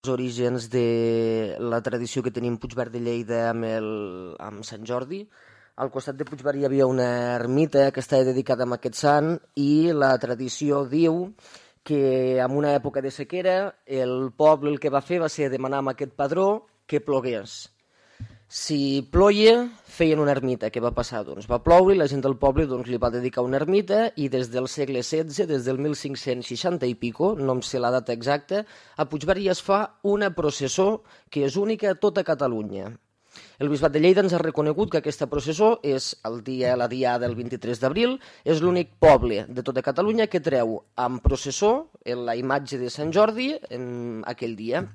els orígens de la tradició que tenim Puigverd de Lleida amb Sant Jordi. Al costat de Puigverd hi havia una ermita que estava dedicada a aquest sant i la tradició diu que en una època de sequera el poble el que va fer va ser demanar a aquest padró que plogués. Si ploia, feien una ermita. Què va passar? Doncs va ploure i la gent del poble li va dedicar una ermita i des del segle XVI, des del 1560 i pico, no em sé la data exacta, a Puigverd ja es fa una processó que és única a tota Catalunya. El Bisbat de Lleida ens ha reconegut que aquesta processó és la diada del 23 d'abril, és l'únic poble de tota Catalunya que treu amb processó la imatge de Sant Jordi en aquell dia.